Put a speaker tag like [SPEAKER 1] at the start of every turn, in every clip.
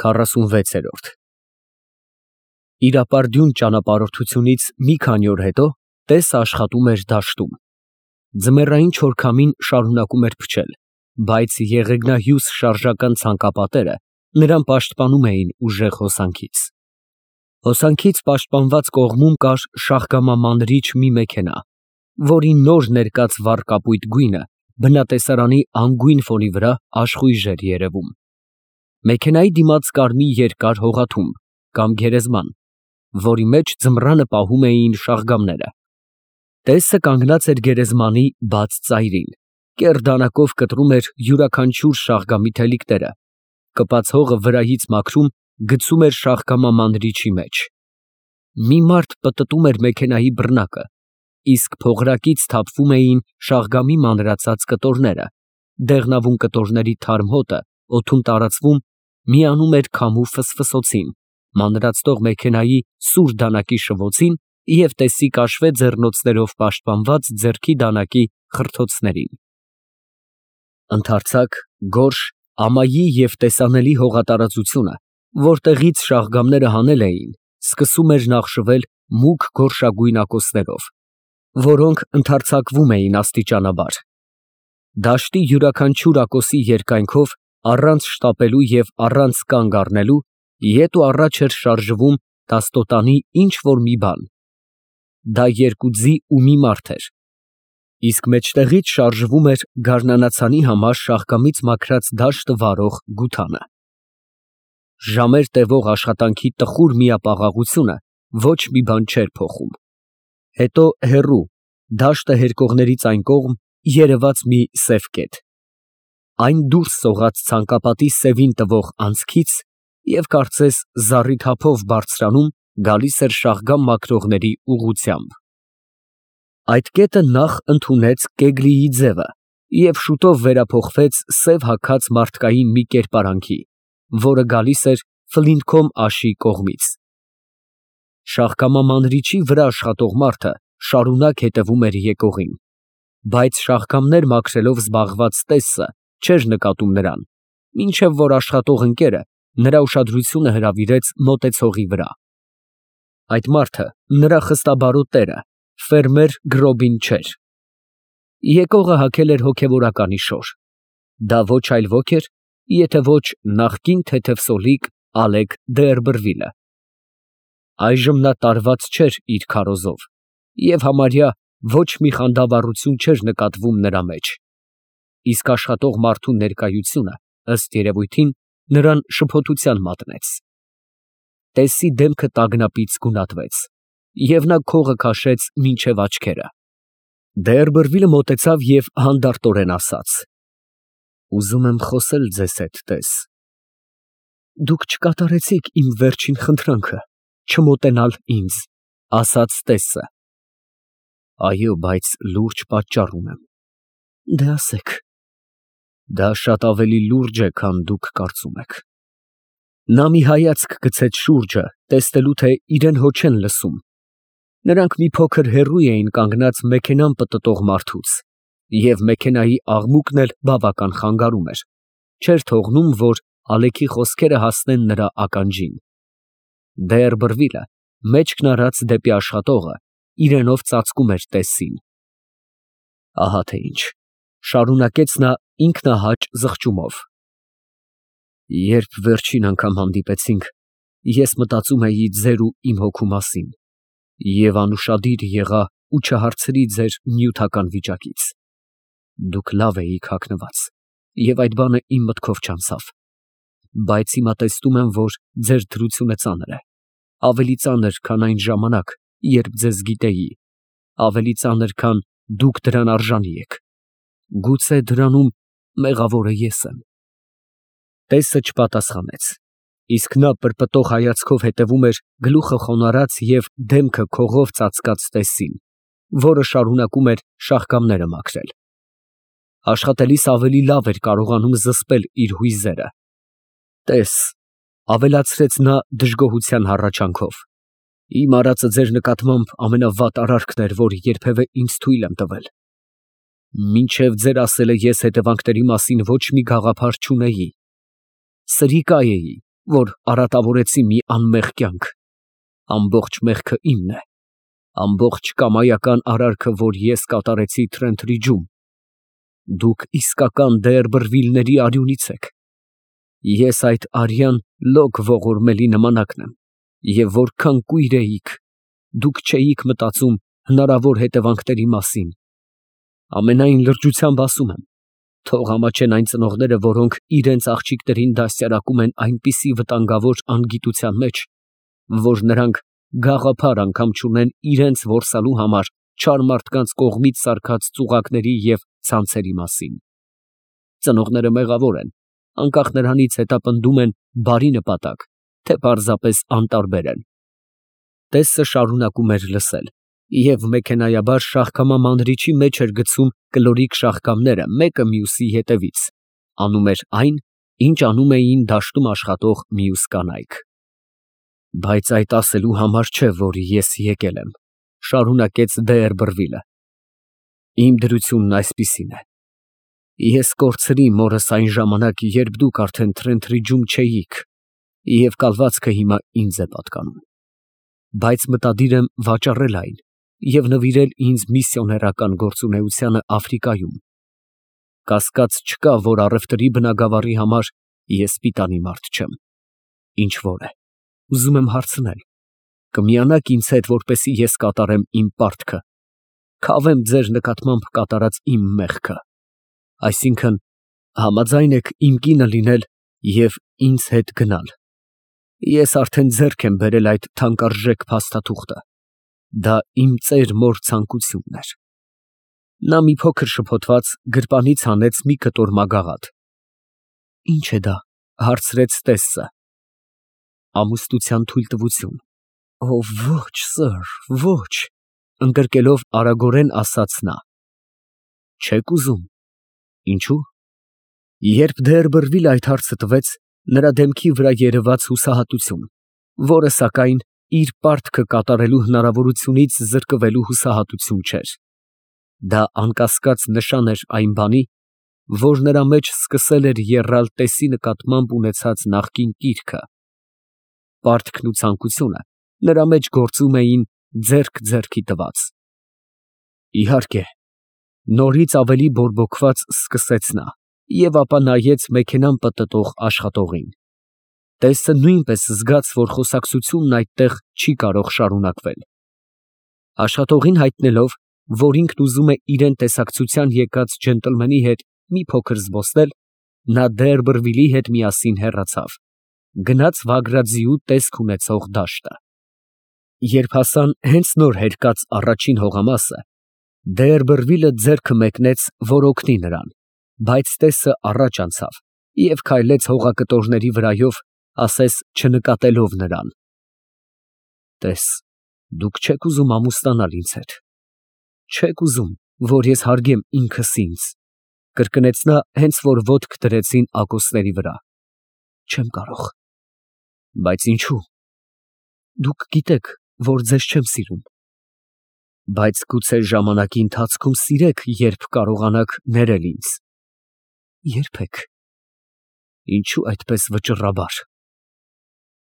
[SPEAKER 1] 46-րդ Իրապարդյուն ճանապարհորդությունից մի քանի օր հետո Տեսը աշխատում էր դաշտում։ Ձմեռային չորքամին շարունակում էր փչել, բայց եղեգնահյուս շարժական ցանկապատերը նրան պաշտպանում էին ուժեղ հոսանքից։ Հոսանքից պաշտպանված կողմում կար շախկամամանրիչ մի մեքենա, որի նոր ներկած վառ կապույտ գույնը բնատեսարանի անգույն ֆոնի վրա աշխույժ էր երևում։ Մեքենայի դիմաց կար մի երկար հողաթումբ կամ գերեզման, որի մեջ ձմռանը պահում էին շաղգամները։ Տեսը կանգնած էր գերեզմանի բաց ծայրին, կեռ դանակով կտրում էր յուրաքանչյուր շաղգամի թելիկները, կպած հողը վրայից մաքրում գցում էր շաղկամամանրիչի մեջ։ Մի մարդ պտտում էր մեքենայի բռնակը, իսկ փողրակից թափվում էին շաղգամի մանրացած կտորները, դեղնավուն կտորների թարմ հոտը օդում տարածվում, միանում էր քամու ֆսֆսոցին, մանրացնող մեքենայի սուր դանակի շվոցին և Տեսի կաշվե ձեռնոցներով պաշտպանված ձեռքի դանակի խրթոցներին։ Ընդարձակ, գորշ, ամայի և տեսանելի հողատարածությունը, որտեղից շաղգամները հանել էին, սկսում էր նախշվել մուգ գորշագույն ակոսներով, որոնք ընդարձակվում էին աստիճանաբար։ Դաշտի յուրաքանչյուր ակոսի երկայնքով, առանց շտապելու և առանց կանգ առնելու, ետ ու առաջ էր շարժվում տաստոտանի ինչ֊որ մի բան։ Դա երկու ձի ու մի մարդ էր, իսկ մեջտեղից շարժվում էր գարնանացանի համար շաղկամից մաքրած դաշտը վարող գութանը։ Ժամեր տևող աշխատանքի տխուր միապաղաղությունը ոչ մի բան չէր փոխում։ Հետո հեռու, դաշտը հերկողներից այն կողմ, երևաց մի սև կետ։ Այն դուրս սողաց ցանկապատի սևին տվող անցքից և կարծես զառիթափով բարձրանում, գալիս էր շաղգամ մաքրողների ուղղությամբ։ Այդ կետը նախ ընդունեց Կեգլիի ձևը և շուտով վերափոխվեց սև հագած մարդկային մի կերպարանքի, որը գալիս էր Ֆլինթքոմ աշի կողմից։ Շաղկամամանրիչի վրա աշխատող մարդը շարունակ հետևում էր եկողին, բայց շաղգամներ մաքրելով զբաղված Տեսը չէր նկատում նրան, մինչև որ աշխատող ընկերը նրա ուշադրությունը հրավիրեց մոտեցողի վրա։ Այդ մարդը նրա խստաբարոտ տերը, ֆերմեր Գրոբին չէր։ Եկողը հագել էր հոգևորականի շոր։ Դա ոչ այլ ոք էր, եթե ոչ նախկին թեթևսոլիկ Ալեկ Դերբրվիլը։ Այժմ նա տարված չէր իր քարոզով, և համարյա ոչ մի խանդավառություն չէր նկատվում նրա մեջ, իսկ աշխատող մարդու ներկայությունը, ըստ երևույթին, նրան շփոթության մատնեց։ Տեսի դեմքը տագնապից գունատվեց, և նա քողը քաշեց մինչև աչքերը։ Դերբրվիլը մոտեցավ և հանդարտորեն ասաց. «Ուզում եմ խոսել ձեզ հետ, Տես»։ «Դուք չկատարեցիք իմ վերջին խնդրանքը, չմոտենալ ինձ», ֊ ասաց Տեսը։ «Այո, բայց լուրջ պատճառ ունեմ»։ «Դե ասեք»։ «Դա շատ ավելի լուրջ է, քան դուք կարծում եք»։ Նա մի հայացք գցեց շուրջը, տեսնելու, թե իրեն հո չեն լսում։ Նրանք մի փոքր հեռու էին կանգնած մեքենան պտտող մարդուց, և մեքենայի աղմուկն էլ բավական խանգարում էր, չէր թողնում, որ Ալեքի խոսքերը հասնեն նրա ականջին։ Դերբրվիլը, մեջքն արած դեպի աշխատողը, իրենով ծածկում էր Տեսին։ «Ահա թե ինչ», ֊ շարունակեց նա ինքնահաճ զղջումով։ «Երբ վերջին անգամ հանդիպեցինք, ես մտածում էի ձեր ու իմ հոգու մասին և անուշադիր եղա ու չհարցրի ձեր նյութական վիճակից։ Դուք լավ էիք հագնված, և այդ բանը իմ մտքով չանցավ, բայց հիմա տեսնում եմ, որ ձեր դրությունը ծանր է, ավելի ծանր, քան այն ժամանակ, երբ ձեզ գիտեի, ավելի ծանր, քան դուք դրան արժանի եք։ Գուցե դրանում մեղավորը ես եմ»։ Տեսը չպատասխանեց, իսկ նա պրպտող հայացքով հետևում էր գլուխը խոնարհած և դեմքը քողով ծածկած Տեսին, որը շարունակում էր շաղկամները մաքրել։ Աշխատելիս ավելի լավ էր կարողանում զսպել իր հույզերը։ «Տես», ֊ ավելացրեց նա դժգոհության հառաչանքով, «իմ արածը ձեր նկատմամբ ամենավատ արարքն էր, որ երբևէ ինձ թույլ եմ տվել։ Մինչև ձեր ասելը ես հետևանքների մասին ոչ մի գաղափար չունեի։ Սրիկա էի, որ արատավորեցի մի անմեղ կյանք։ Ամբողջ մեղքը իմն է, ամբողջ կամայական արարքը, որ ես կատարեցի Թրենթրիջում։ Դուք իսկական Դեերբրվիլների արյունից եք։ Ես այդ արյան լոկ ողորմելի նմանակն եմ, և որքան կույր էիք, դուք չէիք մտածում հնարավոր հետևանքների մասին։ Ամենայն լրջությամբ ասում եմ, թող ամաչեն այն ծնողները, որոնք իրենց աղջիկներին դաստիարակում են այնպիսի վտանգավոր անգիտության մեջ, որ նրանք գաղափար անգամ չունեն իրենց որսալու համար չար մարդկանց կողմից սարքած ծուղակների և ցանցերի մասին։ Ծնողները մեղավոր են, անկախ նրանից հետապնդում են բարի նպատակ, թե պարզապես անտարբեր են։ Տեսը շարունակում էր լսել, և մեքենայաբար շաղկամա մանրիչի մեջ էր գցում կլորիկ շաղկամները մեկը մյուսի հետևից, անում էր այն, ինչ անում էին դաշտում աշխատող մյուս կանայք։ Բայց այդ ասելու համար չէ, որ ես եկել եմ, շարունակեց Դեերբրվիլը։ Իմ դրությունն այսպիսին է. ես կորցրի մորս այն ժամանակ, երբ դուք արդեն Թրենթրիջում չէիք, և կալվածքը հիմա ինձ է պատկանում։ Բայց մտադիր եմ վաճառել այն և նվիրել ինձ միսիոներական գործունեությանը Աֆրիկայում։ Կասկած չկա, որ առևտրի բնագավառի համար ես պիտանի մարդ չեմ։ Ինչ որ է, ուզում եմ հարցնել, կմիանա՞ք ինձ հետ, որպեսզի ես կատարեմ իմ պարտքը, քավեմ ձեր նկատմամբ կատարած իմ մեղքը, այսինքն համաձայն եք իմ կինը լինել և ինձ հետ գնալ։ Ես արդեն ձեռք եմ բերել այդ թանկարժեք փաստաթուղթը, դա իմ ծեր մոր ցանկությունն էր։ Նա մի փոքր շփոթված գրպանից հանեց մի կտոր մագաղաթ։ Ի՞նչ է դա, հարցրեց տեսը։ Ամուսնության թույլտվություն։ Օ, ոչ, սըր, ոչ, ընկրկելով արագորեն ասաց նա։ Չեք ուզում։ Ինչու՞։ Երբ Դեերբրվիլը այդ հարցը տվեց, նրա դեմքի վրա երևաց հուսահատություն, որը, սակայն, իր պարտքը կատարելու հնարավորությունից զրկվելու հուսահատություն չէր։ Դա անկասկած նշան էր այն բանի, որ նրա մեջ սկսել էր եռալ տեսի նկատմամբ ունեցած նախկին կիրքը։ Պարտքն ու ցանկությունը նրա մեջ գործում էին ձեռք ձեռքի տված։ Իհարկե, նորից ավելի բորբոքված սկսեց նա, և ապա նայեց մեքենան պտտող աշխատողին։ Տեսը նույնպես զգաց, որ խոսակցությունն այդտեղ չի կարող շարունակվել։ Աշխատողին հայտնելով, որ ինքն ուզում է իրան տեսակցության եկած ջենտլմենի հետ մի փոքր զբոսնել, նա Դեերբրվիլի հետ միասին հեռացավ, գնաց Վագրաձիու տեսք ունեցող դաշտը։ Երբ հասան հենց նոր հերկած առաջին հողամասը, Դեերբրվիլը ձեռքը մեկնեց, որ օգնի նրան, բայց տեսը առաջ անցավ և քայլեց հողակտորների վրայով, ասես չնկատելով նրան։ Տես, դուք չեք ուզում ամուսնանալ ինձ հետ, չեք ուզում, որ ես հարգեմ ինքս ինձ, կրկնեց նա, հենց որ ոտք դրեցին ակոսների վրա։ Չեմ կարող։ Բայց ինչու։ Դուք գիտեք, որ ձեզ չեմ սիրում։ Բայց գուցե ժամանակի ընթացքում սիրեք, երբ կարողանաք ներել ինձ։ Երբեք։ Ինչու այդպես վճռաբար։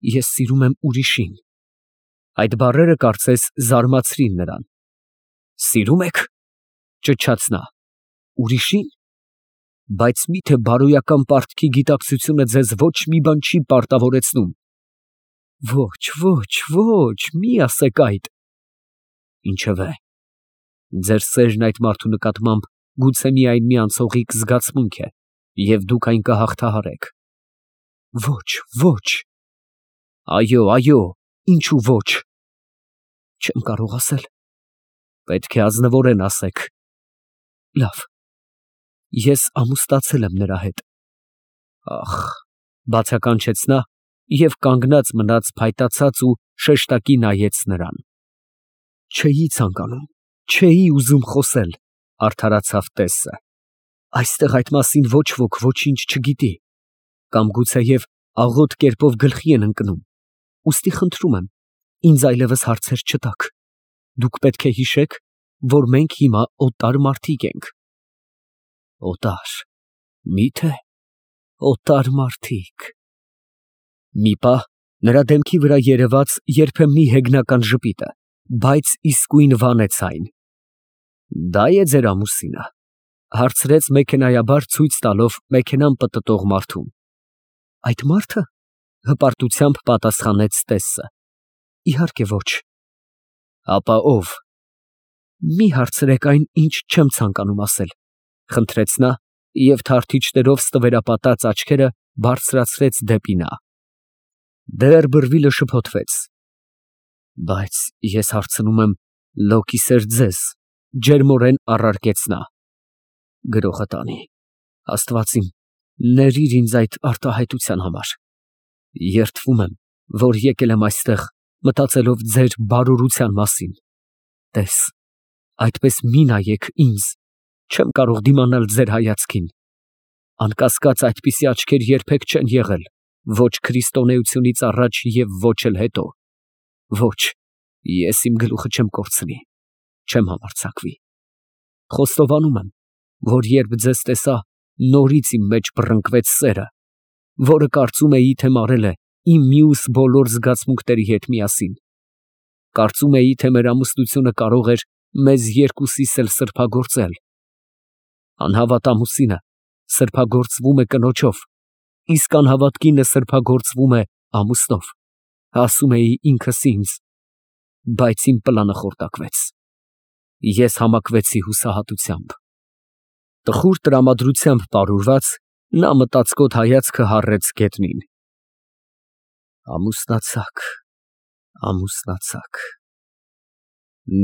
[SPEAKER 1] Ես սիրում եմ ուրիշին։ Այդ բառերը կարծես զարմացրին նրան։ Սիրում եք, ճչաց նա, ուրիշին։ Բայց միթե բարոյական պարտքի գիտակցությունը ձեզ ոչ մի բան չի պարտավորեցնում։ Ոչ, ոչ, ոչ, մի ասեք այդ։ Ինչևէ, ձեր սերն այդ մարդու նկատմամբ գուցե միայն մի անցողիկ զգացմունք է, և դուք այն կհաղթահարեք։ Ոչ, ոչ։ Այո, այո, ինչու ոչ։ Չեմ կարող ասել։ Պետք է ազնվորեն ասեք։ Լավ, ես ամուսնացել եմ նրա հետ։ Ախ, բացականչեց նա և կանգնած մնաց փայտացած ու շեշտակի նայեց նրան։ Չէի ցանկանում, չէի ուզում խոսել, արդարացավ տեսը։ Այստեղ այդ մասին ոչ ոք ոչինչ չգիտի, կամ գուցեև աղոտ կերպով գլխի են ընկնում, ուստի խնդրում եմ, ինձ այլևս հարցեր չտաք, դուք պետք է հիշեք, որ մենք հիմա օտար մարդիկ ենք։ Օտար, մի՞թե օտար մարդիկ։ Մի պահ նրա դեմքի վրա երևաց երբեմնի հեգնական ժպիտը, բայց իսկույն վանեց այն։ «Դա է ձեր ամուսինը», հարցրեց մեքենայաբար ցույց տալով մեքենան պտտող մարդուն։ «Այդ մարդը», հպարտությամբ պատասխանեց Տեսը։ «Իհարկե ոչ»։ «Ապա ով»։ «Մի հարցրեք այն, ինչ չեմ ցանկանում ասել», խնդրեց նա և թարթիչներով ստվերապատած աչքերը բարձրացրեց դեպի նա։ Դեռ բրվիլը շփոթվեց։ «Բայց ես հարցնում եմ լոկիսեր ձեզ», ջերմորեն առարկեց նա։ «Գրողը տանի, Աստված իմ, ներիր ինձ այդ արտահայտության համար։ Երդվում եմ, որ եկել եմ այստեղ, մտածելով ձեր բարօրության մասին։ Տես, այդպես մի նայեք ինձ, չեմ կարող դիմանալ ձեր հայացքին։ Անկասկած այդպիսի աչքեր երբեք չեն եղել, ոչ քրիստոնեությունից առաջ և ոչ էլ հետո։ Ոչ, ես իմ գլուխը չեմ կորցնի, չեմ համարձակվի։ Խոստովանում եմ, որ երբ ձեզ տեսա, նորից իմ մեջ բռնկվեց սերը, որը կարծում էի, թե մարել է իմ մյուս բոլոր զգացմունքների հետ միասին։ Կարծում էի, թե մեր ամուսնությունը կարող էր մեզ երկուսիս էլ սրբագործել։ Անհավատ ամուսինը սրբագործվում է կնոջով, իսկ անհավատ կինը սրբագործվում է ամուսնով, ասում էի ինքս ինձ, բայց իմ պլանը խորտակվեց։ Ես համակվեցի հուսահատությամբ։ Տխուր տրամադրությամբ պարուրված, նա մտածկոտ հայացքը հառեց գետնին։ Ամուսնացաք, ամուսնացաք։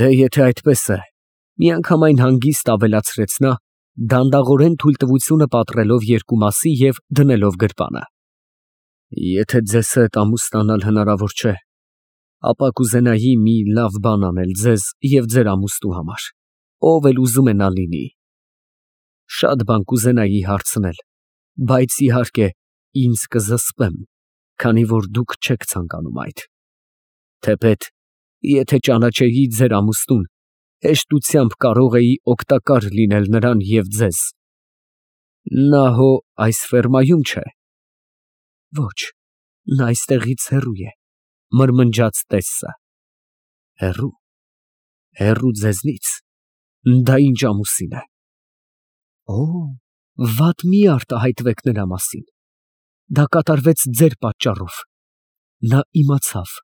[SPEAKER 1] Դե եթե այդպես է, միանգամայն հանգիստ ավելացրեց նա, դանդաղորեն թույլտվությունը պատռելով երկու մասի և դնելով գրպանը։ Եթե ձեզ հետ ամուսնանալ հնարավոր չէ, ապա կուզենայի մի լավ բան անել ձեզ և ձեր ամուսնու համար, ով էլ ուզում է նա լինի։ Շատ բան կուզենայի հարցնել, բայց իհարկե ինձ կզսպեմ, քանի որ դուք չեք ցանկանում այդ։ Թեպետ, եթե ճանաչեի ձեր ամուսնուն, հեշտությամբ կարող էի օգտակար լինել նրան և ձեզ։ Նա հո այս ֆերմայում չէ։ Ոչ, նա այստեղից հեռու է, մրմնջաց Տեսը։ Հեռու, հեռու ձեզնից, դա ինչ ամուսին է։ Օ, վատ մի արտահայտվեք նրա մասին։ Դա կատարվեց ձեր պատճառով։ Նա իմացավ։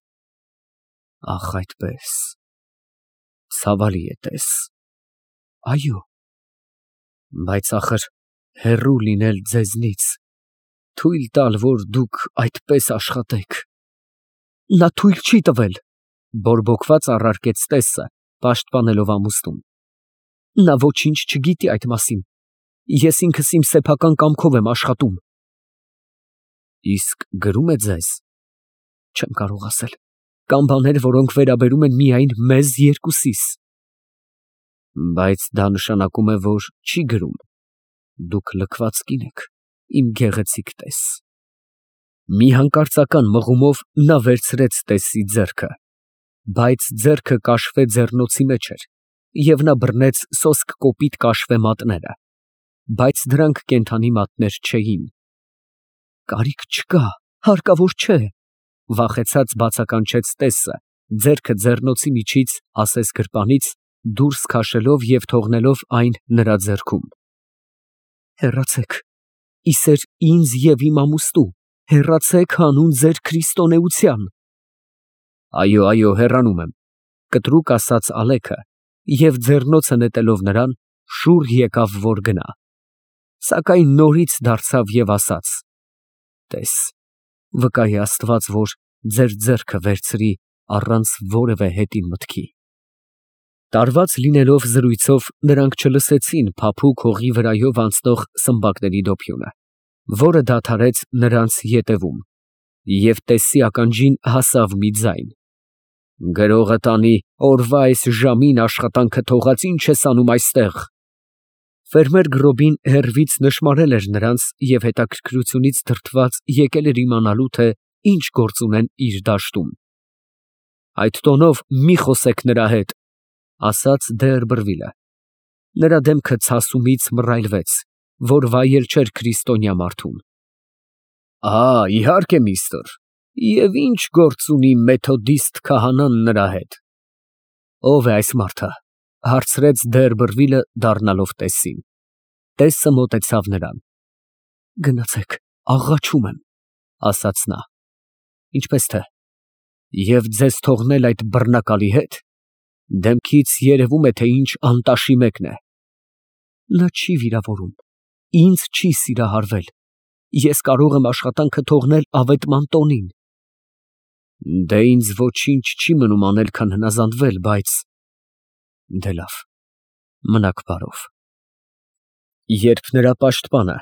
[SPEAKER 1] Ախ, այդպես։ Ցավալի է, Տես։ Այո։ Բայց ախր հեռու լինել ձեզնից, թույլ տալ, որ դուք այդպես աշխատեք։ Նա թույլ չի տվել, բորբոքված առարկեց Տեսը, պաշտպանելով ամուսնուն։ Նա ոչինչ չգիտի այդ մասին։ Ես ինքս իմ սեփական կամքով եմ աշխատում։ Իսկ գրում է ձեզ։ Չեմ կարող ասել։ Կան բաներ, որոնք վերաբերում են միայն մեզ երկուսիս։ Բայց դա նշանակում է, որ չի գրում։ Դուք լքված կին եք, իմ գեղեցիկ Տես։ Մի հանկարծական մղումով նա վերցրեց Տեսի ձեռքը, բայց ձեռքը կաշվե ձեռնոցի մեջ էր, և նա բռնեց սոսկ կոպիտ կաշվե մատները, բայց դրանք կենդանի մատներ չէին։ Կարիք չկա, հարկավոր չէ, վախեցած բացականչեց Տեսը, ձեռքը ձեռնոցի միջից ասես գրպանից դուրս քաշելով և թողնելով այն նրա ձեռքում։ Հեռացեք, իսեր ինձ և իմ ամուսնու, հեռացեք հանուն ձեր քրիստոնեության։ Այո, այո, հեռանում եմ, կտրուկ ասաց Ալեքը և ձեռնոցը նետելով նրան, շուռ եկավ, որ գնա, սակայն նորից դարձավ և ասաց. Տես, վկա է Աստված, որ ձեր ձեռքը վերցրի առանց որևէ հետին մտքի։ Տարված լինելով զրույցով, նրանք չլսեցին փափուկ հողի վրայով անցնող սմբակների դոփյունը, որը դադարեց նրանց ետևում, և Տեսի ականջին հասավ մի ձայն. Գրողը տանի, օրվա այս ժամին աշխատանքը թողած ինչ ես անում այստեղ։ Ֆերմեր Գրոբին հեռվից նշմարել էր նրանց և հետաքրքրությունից դրդված եկել էր իմանալու, թե ինչ գործ ունեն իր դաշտում։ Այդ տոնով մի խոսեք նրա հետ, ասաց Դերբրվիլը։ Նրա դեմքը ցասումից մռայլվեց, որ վայել չէր քրիստոնյա մարդուն։ Իհարկե, միստր, Եվ ինչ գործ ունի մեթոդիստ քահանան նրա հետ։ Ո՞վ է այս մարդը, հարցրեց Դերբրվիլը դառնալով տեսին։ Տեսը մոտեցավ նրան։ Գնացեք, աղաչում եմ, ասաց նա։ Ինչպես թե։ Եվ ձեզ թողնել այդ բռնակալի հետ։ Դեմքից երևում է, թե ինչ անտաշի մեկն է։ Նա չի վիրավորում, ինձ չի սիրահարվել։ Ես կարող եմ աշխատանքը թողնել ավետման տոնին։ Դե ինձ ոչինչ չի մնում անել, քան հնազանդվել, բայց… Դե լավ, մնաք բարով։ Երբ նրա պաշտպանը,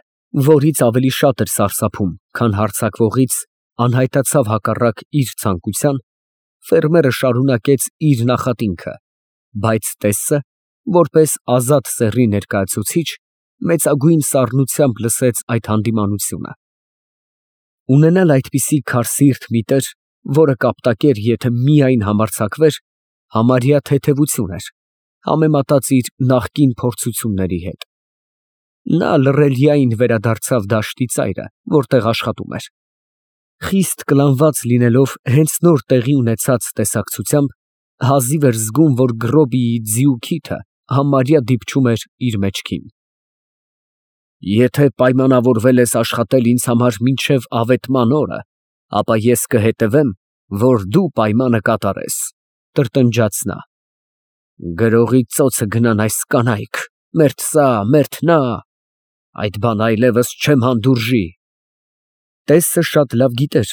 [SPEAKER 1] որից ավելի շատ էր սարսափում, քան հարձակվողից, անհայտացավ հակառակ իր ցանկության, ֆերմերը շարունակեց իր նախատինքը, բայց տեսը, որպես ազատ սեռի ներկայացուցիչ, մեծագույն սառնությամբ լսեց այդ հանդիմանությունը։ Ունենալ այդպիսի քարսիրտ մի տեր, որը կապտակեր, եթե միայն համարձակվեր, համարյա թեթևություն էր, համեմատած իր նախկին փորձությունների հետ։ Նա լռելիային վերադարձավ դաշտի ծայրը, որտեղ աշխատում էր։ Խիստ կլանված լինելով հենց նոր տեղի ունեցած տեսակցությամբ, հազիվ էր զգում, որ Գրոբիի ձիու քիթը համարյա դիպչում էր իր մեջքին։ Եթե պայմանավորվել ես աշխատել ինձ համար մինչև ավետման օրը, ապա ես կհետևեմ, որ դու պայմանը կատարես, տրտնջաց նա։ Գրողի ծոցը գնան այս կանայք, մերթ սա, մերթ նա, այդ բանը այլևս չեմ հանդուրժի։ Տեսը շատ լավ գիտեր,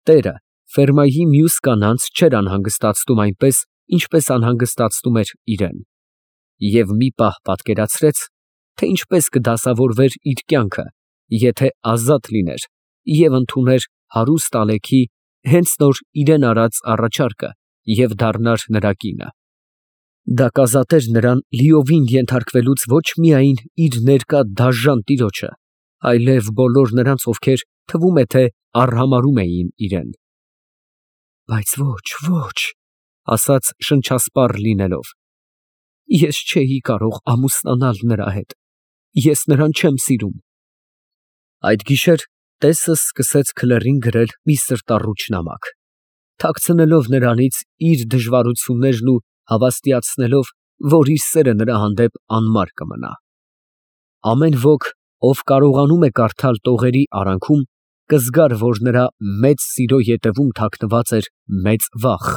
[SPEAKER 1] տերը ֆերմայի մյուս կանանց չէր անհանգստացնում այնպես, ինչպես անհանգստացնում էր իրեն, և մի պահ պատկերացրեց, թե ինչպես կդասավորվեր իր կյանքը, եթե ազատ լիներ և ընդուներ հարուստ Ալեքի հենց նոր իրեն արած առաջարկը և դառնար նրա կինը։ Դա կազատեր նրան լիովին ենթարկվելուց ոչ միայն իր ներկա դաժան տիրոջը, այլև բոլոր նրանց, ովքեր թվում է, թե արհամարհում էին իրեն։ Բայց ոչ, ասաց շնչասպառ լինելով, ես չէի կարող ամուսնանալ նրա հետ, ես նրան չեմ սիրում։ Այդ գիշեր տեսը սկսեց քլերին գրել մի սրտառուչ նամակ, թաքցնելով նրանից իր դժվարություններն ու հավաստիացնելով, որ իր սերը նրա հանդեպ անմար կմնա։ Ամեն ոք, ով կարողանում է կարդալ տողերի արանքում, կզգար, որ նրա մեծ սիրո ետևում թաքնված էր մեծ վախ,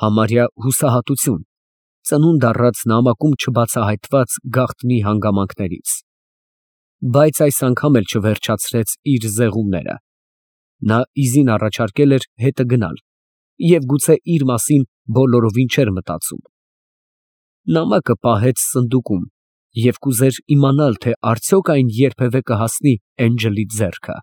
[SPEAKER 1] համարյա հուսահատություն, ծնունդ առած նամակում չբացահայտված գաղտնի հանգամանքներից։ Բայց այս անգամ էլ չվերջացրեց իր զեղումները։ Նա իզին առաջարկել էր հետը գնալ և գուցե իր մասին բոլորովին չէր մտածում։ Նամակը պահեց սնդուկում և կուզեր իմանալ, թե արդյոք այն երբևէ կհասնի Էնջելի ձեռքը։